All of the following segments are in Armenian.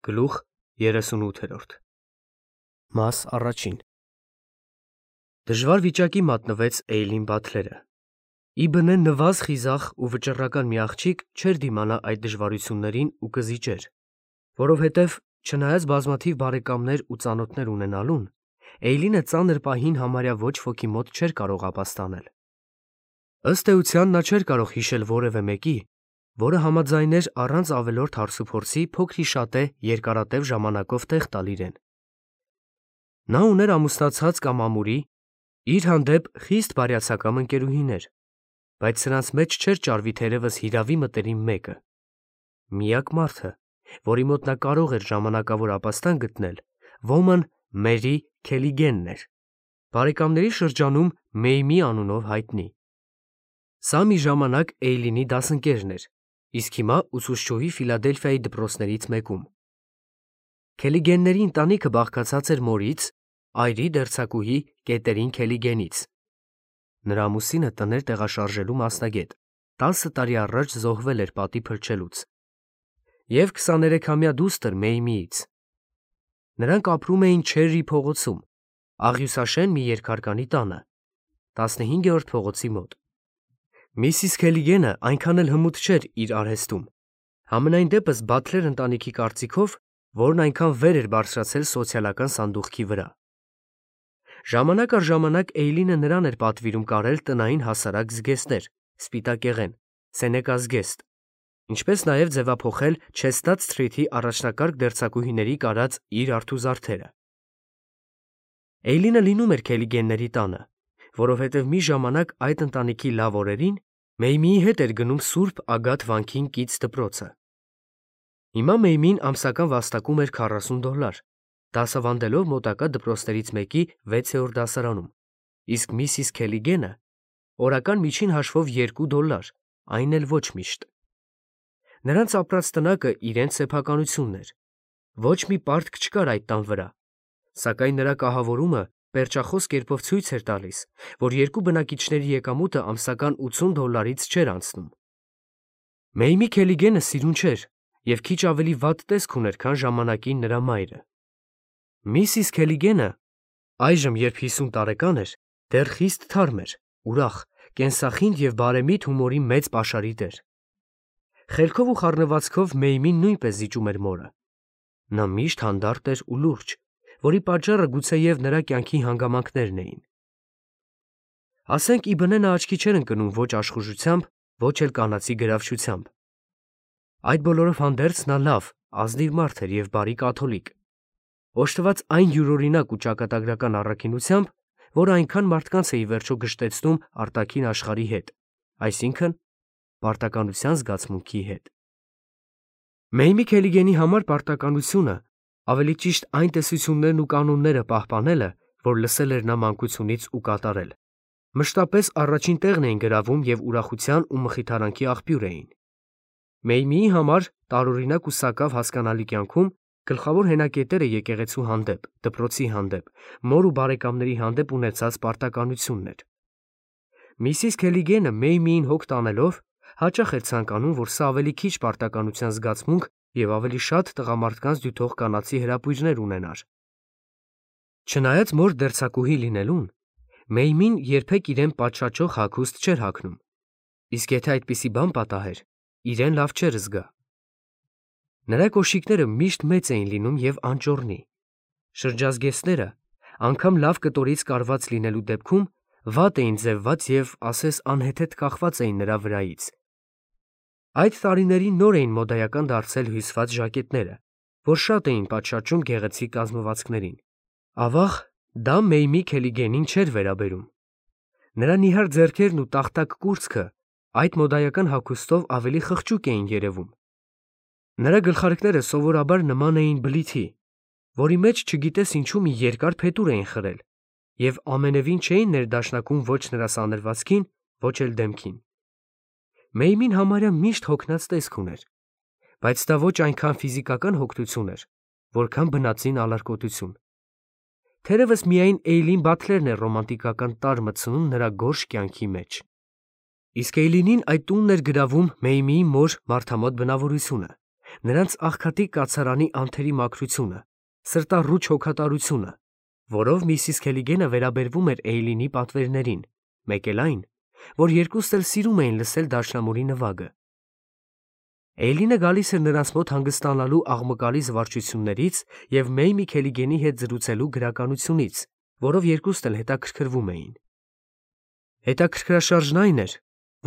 Գլուխ 38 Մաս առաջին Դժվար վիճակի մատնվեց Էյլին Բաթլերը։ Ի բնե նվազ խիզախ ու վճռական մի աղջիկ չէր դիմանա այդ դժվարություններին ու կզիջեր, որովհետև չնայած բազմաթիվ բարեկամներ ու ծանոթներ ունենալուն, Էյլինը ծանր պահին համարյա ոչ ոքի մոտ չէր կարող ապաստանել։ Ըստ էության նա չէր կարող հիշել որևէ մեկի, որը համաձայներ առանց ավելորդ հարցուփորձի փոքրիշատե երկարատև ժամանակով տեղ տալ իրեն։ Նա ուներ ամուսնացած կամ ամուրի, իր հանդեպ խիստ բարյացակամ ընկերուհիներ, բայց սրանց մեջ չէր ճարվի թերևս հիրավի մտերիմ մեկը։ Միակ մարդը, որի մոտ նա կարող էր ժամանակավոր ապաստան գտնել, ոմն Մերի Քելիգենն էր, բարեկամների շրջանում Մեյմի անունով հայտնի։ Սա մի ժամանակ Էյլինի դասընկերն էր, իսկ հիմա ուսուցչուհի Ֆիլադելֆիայի դպրոցներից մեկում։ Քելիգենների ընտանիքը բաղկացած էր մորից, այրի դերձակուհի Կետերին Քելիգենից։ Նրա ամուսինը տներ տեղաշարժելու մասնագետ, 10 տարի առաջ զոհվել էր պատի փրկելուց, և 23-ամյա դուստր Մեյմիից։ Նրանք ապրում էին Չերրի փողոցում, աղյուսաշեն մի երկհարկանի տանը, 15-րդ փողոցի մոտ։ Միսիս Քելիգենը այնքան էլ հմուտ չէր իր արհեստում, համենայն դեպս Բաթլեր ընտանիքի կարծիքով, որն այնքան վեր էր բարձրացել սոցիալական սանդուղքի վրա։ Ժամանակ առ ժամանակ Էյլինը նրան էր պատվիրում կարել տնային հասարակ զգեստներ, սպիտակեղեն, Սենեկա զգեստ, ինչպես նաև ձևափոխել Չեստադ Սթրիթի առաջնակարգ դերձակուհիների կարած իր արթուզարդերը։ Էյլինը լինում էր Քելիգենների տանը, որովհետև մի ժամանակ այդ ընտանիքի լավ օրերին Մեյմիի հետ էր գնում Սուրբ Ագաթ վանքին կից դպրոցը։ Հիմա Մեյմին ամսական վաստակում էր $40, դասավանդելով մոտակա դպրոցներից մեկի 6-րդ դասարանում, իսկ Միսիս Քելիգենը օրական միջին հաշվով $2, այն էլ ոչ միշտ։ Նրանց ապրած տնակը իրենց սեփականությունն էր, ոչ մի պարտք չկար այդ տան վրա, սակայն նրա կահավորումը պերճախոս կերպով ցույց էր տալիս, որ երկու բնակիչների եկամուտը ամսական $80-ից չէր անցնում։ Մեյմի Քելիգենը սիրուն չէր և քիչ ավելի վատ տեսք ուներ, քան ժամանակին նրա մայրը։ Միսիս Քելիգենը, այժմ երբ 50 տարեկան էր, դեռ խիստ թարմ էր, ուրախ, կենսախինդ և բարեմիտ հումորի մեծ պաշարի տեր։ Խելքով ու խառնվածքով Մեյմին նույնպես զիջում էր մորը։ Նա միշտ հանդարտ էր ու լուրջ, որի պատճառը գուցեև նրա կյանքի հանգամանքներն էին։ Ասենք ի բնե նա աչքի չէր ընկնում ոչ աշխուժությամբ, ոչ էլ կանացի գրավչությամբ։ Այդ բոլորով հանդերձ նա լավ, ազնիվ մարդ էր և բարի կաթոլիկ, օժտված այն յուրօրինակ ու ճակատագրական առաքինությամբ, որը այնքան մարդկանց է ի վերջո գժտեցնում արտաքին աշխարհի հետ, այսինքն պարտականության զգացմունքի հետ։ Մեյմի Քելիգենի համար պարտականությունը, ավելի ճիշտ այն տեսություններն ու կանոնները պահպանելը, որ լսել էր նա մանկությունից ու կատարել, մշտապես առաջին տեղն էին գրավում և ուրախության ու մխիթարանքի աղբյուր էին։ Մեյմիի համար տարօրինակ ու սակավ հասկանալի կյանքում գլխավոր հենակետերը եկեղեցու հանդեպ, դպրոցի հանդեպ, մոր ու բարեկամների հանդեպ ունեցած պարտականությունն էր։ Միսիս Քելիգենը Մեյմիին հոգ տանելով հաճախ էր ցանկանում, որ սա ավելի քիչ պարտականության զգացմունք և ավելի շատ տղամարդկանց դյութող կանացի հրապույրներ ունենար։ Չնայած մոր դերձակուհի լինելուն, Մեյմին երբեք իրեն պատշաճող հագուստ չէր հագնում, իսկ եթե այդպիսի բան պատահեր, իրեն լավ չէր զգա։ Նրա կոշիկները միշտ մեծ էին լինում և անճոռնի։ Շրջազգեստները, անգամ լավ կտորից կարված լինելու դեպքում, վատ էին ձևված և, ասես, անհեթեթ կախված էին նրա վրայից։ Այդ տարիներին նոր էին մոդայական դարձել հյուսված ժակետները, որ շատ էին պատշաճում գեղեցիկ կազմվածքներին։ Ավաղ, դա Մեյմի Քելիգենին չէր վերաբերում։ Նրա նիհար ձեռքերն ու տախտակ կուրծքը այդ մոդայական հագուստով ավելի խղճուկ էին երևում։ Նրա գլխարկները սովորաբար նման էին բլիթի, որի մեջ չգիտես ինչու մի երկար փետուր էին խրել, և ամենևին չէին ներդաշնակում ոչ նրա սանրվածքին, ոչ էլ դեմքին։ Մեյմին համարյա միշտ հոգնած տեսք ուներ, բայց դա ոչ այնքան ֆիզիկական հոգնություն էր, որքան բնածին ալարկոտություն։ Թերևս միայն Էյլին Բաթլերն էր ռոմանտիկական տարր մտցնում նրա գորշ կյանքի մեջ։ Իսկ Էյլինին այդ տունն էր գրավում Մեյմիի մոր մարդամոտ բնավորությունը, նրանց աղքատի կացարանի անթերի մաքրությունը, սրտառուչ հոգատարությունը, որով Միսիս Քելիգենը վերաբերվում էր Էյլինի պատվերներին, մեկ էլ այն, որ երկուստ էլ սիրում էին լսել դաշնամուրի նվագը։ Էյլինը գալիս էր նրանց մոտ հանգստանալու աղմկալի զվարճություններից և Մեյմի Քելիգենի հետ զրուցելու գրականությունից, որով երկուստ էլ հետաքրքրվում էին։ Հետաքրքրաշարժն այն էր,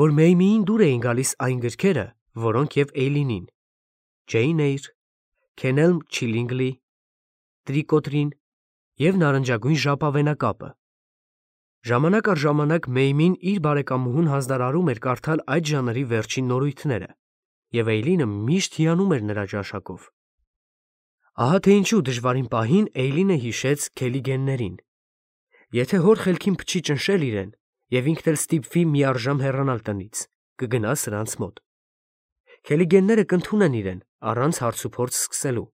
որ Մեյմիին դուր էին գալիս այն գրքերը, որոնք և Էյլինին՝ Ջեյն Էյր, Քենելմ Չիլինգլի, Տրիկոտրին և Նարնջագույն ժապավենակապը։ Ժամանակ առ ժամանակ Մեյմին իր բարեկամուհուն հանձնարարում էր կարդալ այդ ժանրի վերջին նորույթները, և Էյլինը միշտ հիանում էր նրա ճաշակով։ Ահա թե ինչու դժվարին պահին Էյլինը հիշեց Քելիգեններին։ Եթե հոր խելքին փչի ճնշել իրեն, և ինքն էլ ստիպվի միառժամ հեռանալ տնից, կգնա սրանց մոտ։ Քելիգենները կընդունեն իրեն առանց հարցուփորձ սկսելու։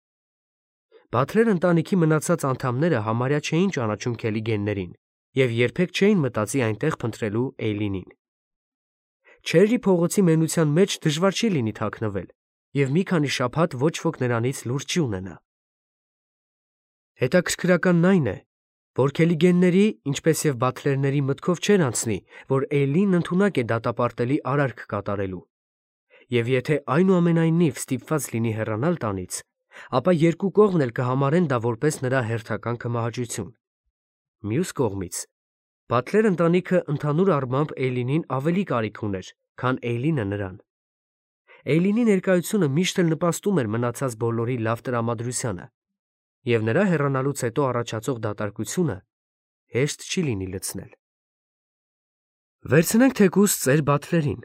Բաթլեր ընտանիքի մնացած անդամները համարյա չէին ճանաչում Քելիգեններին և երբեք չէին մտածի այնտեղ փնտրելու Էյլինին։ Չերրի փողոցի մենության մեջ դժվար չի լինի թաքնվել, և մի քանի շաբաթ ոչ ոք նրանից լուր չի ունենա։ Հետաքրքրականն այն է, որ Քելիգենների, ինչպես և Բաթլերների մտքով չէր անցնի, որ Էյլինն ընդունակ է դատապարտելի արարք կատարելու, և եթե այնուամենայնիվ ստիպված լինի հեռանալ տանից, ապա երկու կողմն էլ կհամարեն դա որպես նրա հերթական կմահաճություն։ Մյուս կողմից, Բաթլեր ընտանիքը ընդհանուր առմամբ Էյլինին ավելի կարիք ուներ, քան Էյլինը նրան։ Էյլինի ներկայությունը միշտ էլ նպաստում էր մնացած բոլորի լավ տրամադրությանը, և նրա հեռանալուց հետո առաջացող դատարկությունը հեշտ չի լինի լցնել։ Վերցնենք թեկուզ ծեր Բաթլերին։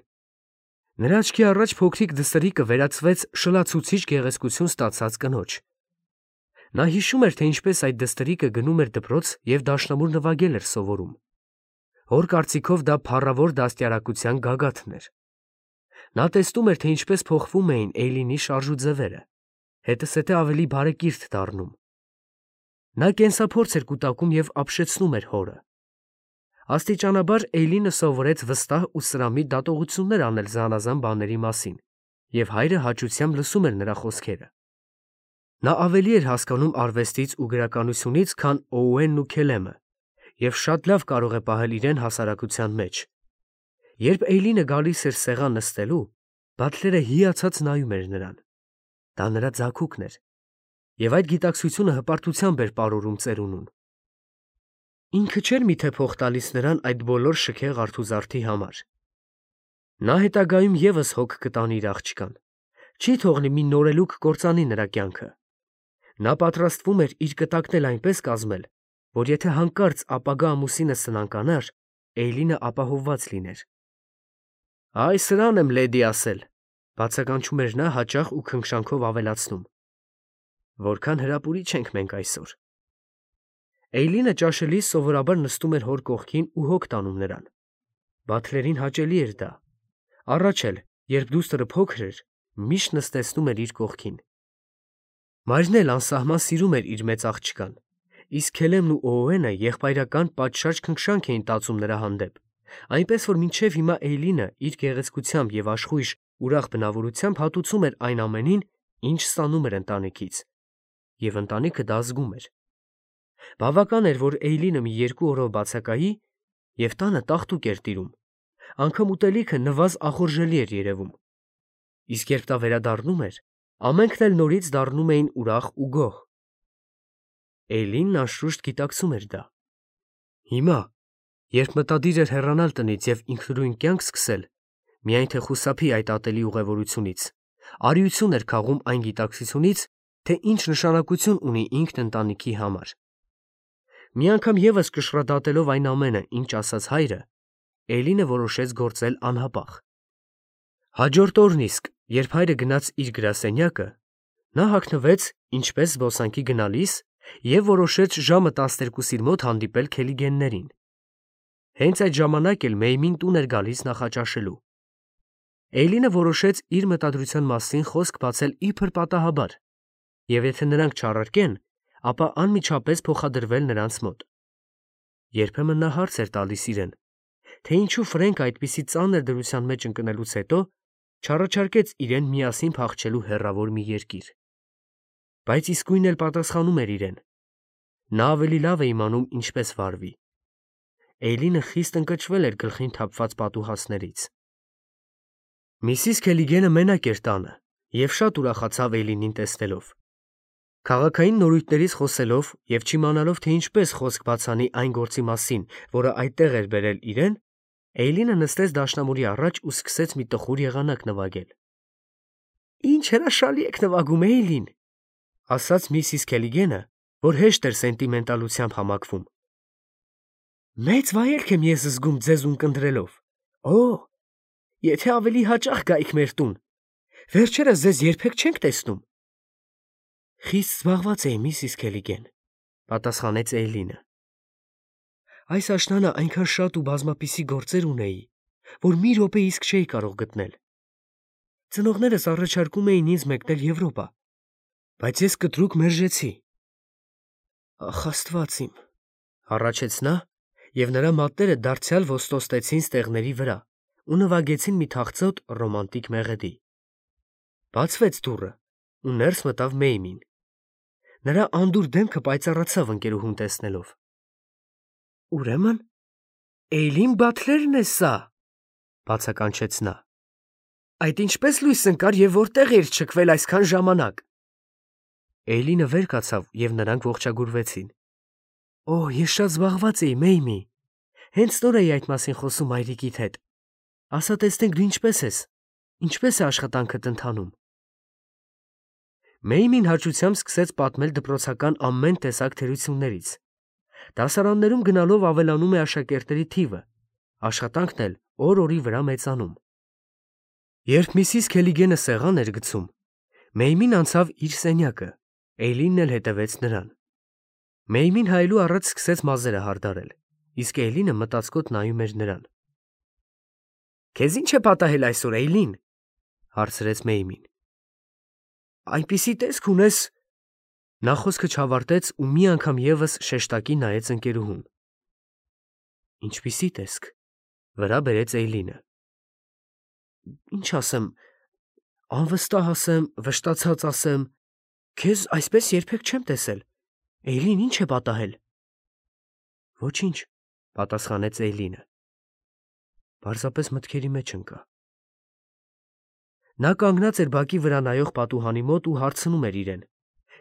Նրա աչքի առաջ փոքրիկ դստրիկը վերածվեց շլացուցիչ գեղեցկություն ստացած կնոջ։ Նա հիշում էր, թե ինչպես այդ դստրիկը գնում էր դպրոց և դաշնամուր նվագել էր սովորում։ Հոր կարծիքով դա փառավոր դաստիարակության գագաթն էր։ Նա տեսնում էր, թե ինչպես փոխվում էին Էյլինի շարժուձևերը, հետզհետե ավելի բարեկիրթ դառնում։ Նա կենսափորձ էր կուտակում և ապշեցնում էր հորը։ Աստիճանաբար Էյլինը սովորեց վստահ ու սրամիտ դատողություններ անել զանազան բաների մասին, և հայրը հաճությամբ լսում էր նրա խոսքերը։ Նա ավելի էր հասկանում արվեստից ու գրականությունից, քան Օուենն ու Քելեմը, և շատ լավ կարող է պահել իրեն հասարակության մեջ։ Երբ Էյլինը գալիս էր սեղան նստելու, Բաթլերը հիացած նայում էր նրան։ Դա նրա ձագուկն էր, և այդ գիտակցությունը հպարտությամբ էր պարուրում ծերունուն։ Ինքը չէր միթե փող տալիս նրան այդ բոլոր շքեղ արթուզարդի համար։ Նա հետագայում ևս հոգ կտանի իր աղջկան, չի թողնի մի նորելուկ կործանի նրա կյանքը։ Նա պատրաստվում էր իր կտակն էլ այնպես կազմել, որ եթե հանկարծ ապագա ամուսինը սնանկանար, Էյլինը ապահովված լիներ։ «Այ սրան եմ լեդի ասել», բացականչում էր նա հաճախ ու քնքշանքով ավելացնում. «Որքան հրապուրիչ ենք մենք այսօր»։ Էյլինը ճաշելիս սովորաբար նստում էր հոր կողքին ու հոգ տանում նրան։ Բաթլերին հաճելի էր դա։ Առաջ էլ, երբ դուստրը փոքր էր, միշտ նստեցնում էր իր կողքին։ Մայրն էլ անսահման սիրում էր իր մեծ աղջկան, իսկ Քելեմն ու Օուենը եղբայրական պատշաճ քնքշանք էին տածում նրա հանդեպ, այնպես որ մինչև հիմա Էյլինը իր գեղեցկությամբ և աշխույժ ուրախ բնավորությամբ հատուցում էր այն ամենին, ինչ ստանում էր ընտանիքից, և ընտանիքը դա զգում էր։ Բավական էր, որ Էյլինը մի երկու օրով բացակայի, և տանը տաղտուկ էր տիրում, անգամ ուտելիքը նվազ ախորժելի էր երևում։ Իսկ երբ դա վերադառնում էր, ամենքն էլ նորից դառնում էին ուրախ ու գոհ։ Էյլինն անշուշտ գիտակցում էր դա։ Հիմա, երբ մտադիր էր հեռանալ տնից և ինքնուրույն կյանք սկսել, միայն թե խուսափի այդ ատելի ուղևորությունից, արիություն էր քաղում այն գիտակցությունից, թե ինչ նշանակություն ունի ինքն ընտանիքի համար։ Մի անգամ ևս կշռադատելով այն ամենը, ինչ ասաց հայրը, Էյլինը որոշեց գործել անհապաղ։ Հաջորդ օրն իսկ, երբ հայրը գնաց իր գրասենյակը, նա հագնվեց ինչպես զբոսանքի գնալիս և որոշեց ժամը 12-ի մոտ հանդիպել Քելիգեններին։ Հենց այդ ժամանակ էլ Մեյմին տուն էր գալիս նախաճաշելու։ Էյլինը որոշեց իր մտադրության մասին խոսք բացել իբր պատահաբար, և եթե նրանք չառարկեն, ապա անմիջապես փոխադրվել նրանց մոտ։ Երբեմն նա հարց էր տալիս իրեն, թե ինչու Ֆրենկը այդպիսի ծանր դրության մեջ ընկնելուց հետո չառաջարկեց իրեն միասին փախչելու հեռավոր մի երկիր։ Բայց իսկույն էլ պատասխանում էր իրեն. նա ավելի լավ է իմանում ինչպես վարվի։ Էյլինը խիստ ընկճվել էր գլխին թափված պատուհասներից։ Միսիս Քելիգենը մենակ էր տանը և շատ ուրախացավ Էյլինին տեսնելով։ Քաղաքային նորույթներից խոսելով և չիմանալով, թե ինչպես խոսք բացանի այն գործի մասին, որը այդտեղ էր բերել իրեն, Էյլինը նստեց դաշնամուրի առաջ ու սկսեց մի տխուր եղանակ նվագել։ «Ինչ հրաշալի եք նվագում, Էյլին», ասաց միսիս Քելիգենը, որ հեշտ էր սենտիմենտալությամբ համակվում։ «Մեծ վայելք եմ ես զգում ձեզ ունկնդրելով։ Օ, եթե ավելի հաճախ գայիք մեր տուն։ Վերջերս ձեզ երբեք չենք տեսնում»։ «Խիստ զբաղված էի, միսիս Քելիգեն», պատասխանեց Էյլինը։ «Այս աշնանը այնքան շատ ու բազմապիսի գործեր ունեի, որ մի րոպե իսկ չէի կարող գտնել։ Ծնողներս առաջարկում էին ինձ մեկնել Եվրոպա, բայց ես կտրուկ մերժեցի»։ «Ախ, Աստված իմ», հառաչեց նա, և նրա մատները դարձյալ ոստոստեցին ստեղների վրա ու նվագեցին մի թախծոտ ռոմանտիկ մեղեդի։ Բացվեց դուռը, ու ներս մտավ Մեյմին։ Նրա անդուր դեմքը պայծառացավ ընկերուհուն տեսնելով։ «Ուրեմն Էյլին Բաթլերն է սա», բացականչեց նա։ «Այդ ինչպես լույս ընկար և որտեղ էիր չքվել այսքան ժամանակ»։ Էյլինը վեր կացավ, և նրանք ողջագուրվեցին։ «Օ, ես շատ զբաղված էի, Մեյմի։ Հենց նոր էի այդ մասին խոսում մայրիկիդ հետ։ Ասա տեսնենք դու ինչպես ես, ինչպես է աշխատանքդ ընթանում»։ Մեյմին հաճությամբ սկսեց պատմել դպրոցական ամեն տեսակ թերություններից։ Դասարաններում գնալով ավելանում է աշակերտների թիվը, աշխատանքն էլ օր-օրի վրա մեծանում։ Երբ միսիս Քելիգենը սեղան էր գցում, Մեյմին անցավ իր սենյակը, Էյլինն էլ հետևեց նրան։ Մեյմին հայելու առաջ սկսեց մազերը հարդարել, իսկ Էյլինը մտածկոտ նայում էր նրան։ «Քեզ ի՞նչ է պատահել այսօր, Էյլին», հարցրեց Մեյմին։ «Այնպիսի տեսք ունես…» Նա խոսքը չավարտեց ու մի անգամ ևս շեշտակի նայեց ընկերուհուն։ «Ինչպիսի տեսք», վրա բերեց Էյլինը։ «Ինչ ասեմ, անվստահ ասեմ, վշտացած ասեմ, քեզ այսպես երբեք չեմ տեսել։ Էյլին, ի՞նչ է պատահել»։ «Ոչինչ», պատասխանեց Էյլինը։ Պարզապես մտքերի մեջ ընկա։ Նա կանգնած էր բակի վրա նայող պատուհանի մոտ ու հարցնում էր իրեն.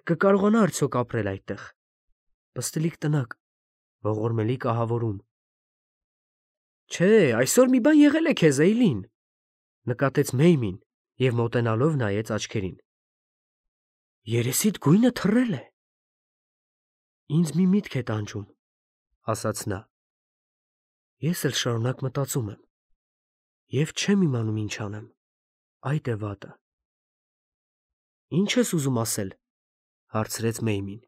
կկարողանա արդյոք ապրել այդտեղ։ Պստլիկ տնակ, ողորմելի կահավորում։ «Չէ, այսօր մի բան եղել է քեզ, Էյլին», նկատեց Մեյմին և մոտենալով նայեց աչքերին։ «Երեսիդ գույնը թռել է»։ «Ինձ մի միտք է տանջում», ասաց նա։ «Ես էլ շարունակ մտածում եմ և չեմ իմանում ինչ անեմ, այդ է վատը»։ «Ինչ ես ուզում ասել», հարցրեց Մեյմին։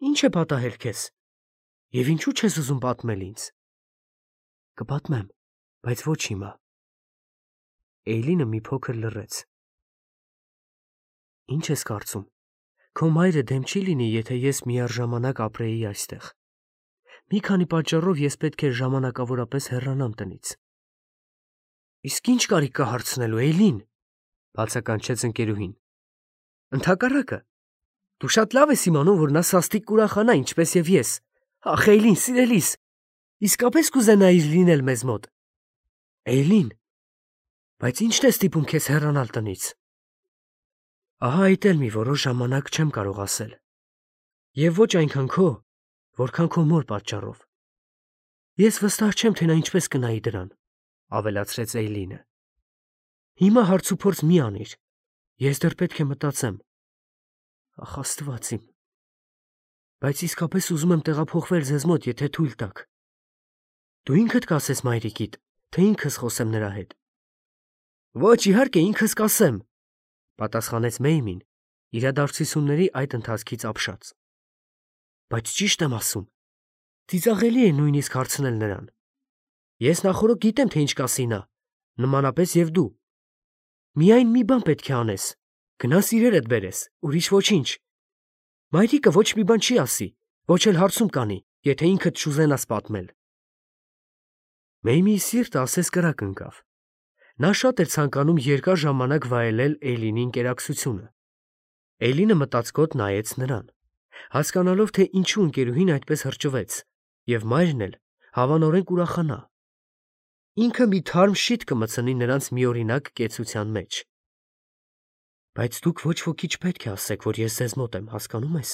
«Ինչ է պատահել քեզ, և ինչու չես ուզում պատմել ինձ»։ «Կպատմեմ, բայց ոչ հիմա»։ Էյլինը մի փոքր լռեց։ «Ինչ ես կարծում, քո մայրը դեմ չի լինի, եթե ես միառժամանակ ապրեի այստեղ։ Մի քանի պատճառով ես պետք է ժամանակավորապես հեռանամ տնից»։ «Իսկ ի՞նչ կարիք կա հարցնելու, Էյլին», բացականչեց ընկերուհին։ «Ընդհակառակը, դու շատ լավ ես իմանում, որ նա սաստիկ կուրախանա, ինչպես և ես։ Ախ, Էյլին, սիրելիս, իսկապես կուզենայիր լինել մեզ մոտ։ Էյլին, բայց ի՞նչն է ստիպում քեզ հեռանալ տնից»։ «Ահա այդ էլ մի որոշ ժամանակ չեմ կարող ասել։ Եվ ոչ այնքան քո, որքան քո մոր պատճառով։ Ես վստահ չեմ, թե նա ինչպես կնայի դրան», ավելացրեց Էյլինը։ «Հիմա հարցուփորձ մի անիր, ես դեռ պետք է մտածեմ։ Ախ, Աստված իմ, բայց իսկապես ուզում եմ տեղափոխվել ձեզ մոտ, եթե թույլ տաք։ Դու ինքդ կասես մայրիկիդ, թե ինքս խոսեմ նրա հետ»։ «Ոչ, իհարկե, ինքս կասեմ», պատասխանեց Մեյմին, իրադարձությունների այդ ընթացքից ապշած։ «Բայց ճիշտ եմ ասում, ծիծաղելի է նույնիսկ հարցնել նրան։ Ես նախօրոք գիտեմ, թե ինչ կասի նա, նմանապես և դու։ Միայն մի բան պետք է անես, գնաս իրերդ բերես, ուրիշ ոչինչ։ Մայրիկը ոչ մի բան չի ասի, ոչ էլ հարցում կանի, եթե ինքդ չուզենաս պատմել»։ Մեյմիի սիրտը ասես կրակ ընկավ։ Նա շատ էր ցանկանում երկար ժամանակ վայելել Էյլինի ընկերակցությունը։ Էյլինը մտածկոտ նայեց նրան, հասկանալով, թե ինչու ընկերուհին այդպես հրճվեց, և մայրն էլ հավանորեն կուրախանա։ Ինքը մի թարմ շիթ կմտցնի նրանց միօրինակ կեցության մեջ։ Բայց դուք ոչ ոքի չպետք է ասեք, որ ես ձեզ մոտ եմ, հասկանո՞ւմ ես։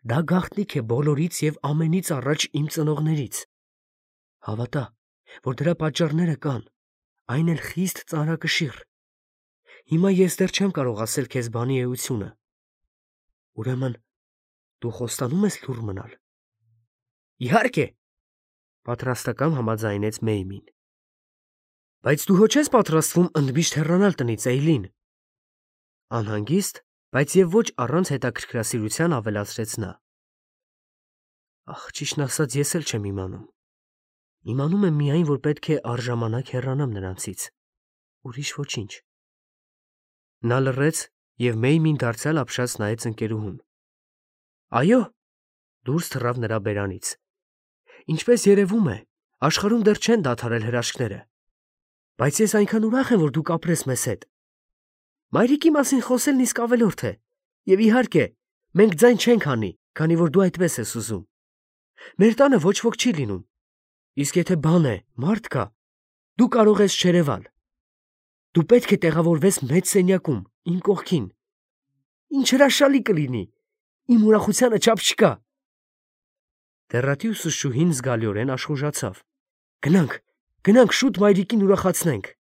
Դա գաղտնիք է բոլորից և ամենից առաջ իմ ծնողներից։ Հավատա, որ դրա պատճառները կան, այն էլ խիստ ծանրակշիռ։ Հիմա ես դեռ չեմ կարող ասել քեզ բանի էությունը։ Ուրեմն, դու խոստանում ես լուռ մնալ։ Իհարկե, պատրաստական համաձայնեց Մեյմին։ Բայց դու հո չես պատրաստվում ընդմիշտ հեռանալ տնից, Էյլին։ Անհանգիստ, բայց և ոչ առանց հետաքրքրասիրության ավելացրեց նա։ Ախ, ճիշտն ասած, ես էլ չեմ իմանում։ Իմանում եմ միայն, որ պետք է առժամանակ հեռանամ նրանցից։ Ուրիշ ոչինչ։ Նա լռեց, և Մեյմին դարձյալ ապշած նայեց ընկերուհուն։ Այո, դուրս թռավ նրա բերանից։ Ինչպես երևում է, աշխարհում դեռ չեն դադարել հրաշքները։ Բայց ես այնքան ուրախ եմ, որ դուք ապրես մեզ հետ։ Մայրիկի մասին խոսելն իսկ ավելորդ է։ Եվ իհարկե, մենք ձայն չենք հանի, քանի որ դու այդպես ես ուզում։ Մեր տանը ոչ ոք չի լինում։ Իսկ եթե բան է, մարդ կա, դու կարող ես չերևալ։ Դու պետք է տեղավորվես մեծ սենյակում, իմ կողքին։ Ինչ հրաշալի կլինի։ Իմ ուրախությանը չափ չկա։ Տեռատի ուսուցչուհին զգալիորեն աշխուժացավ։ Գնանք, շուտ մայրիկին ուրախացնենք։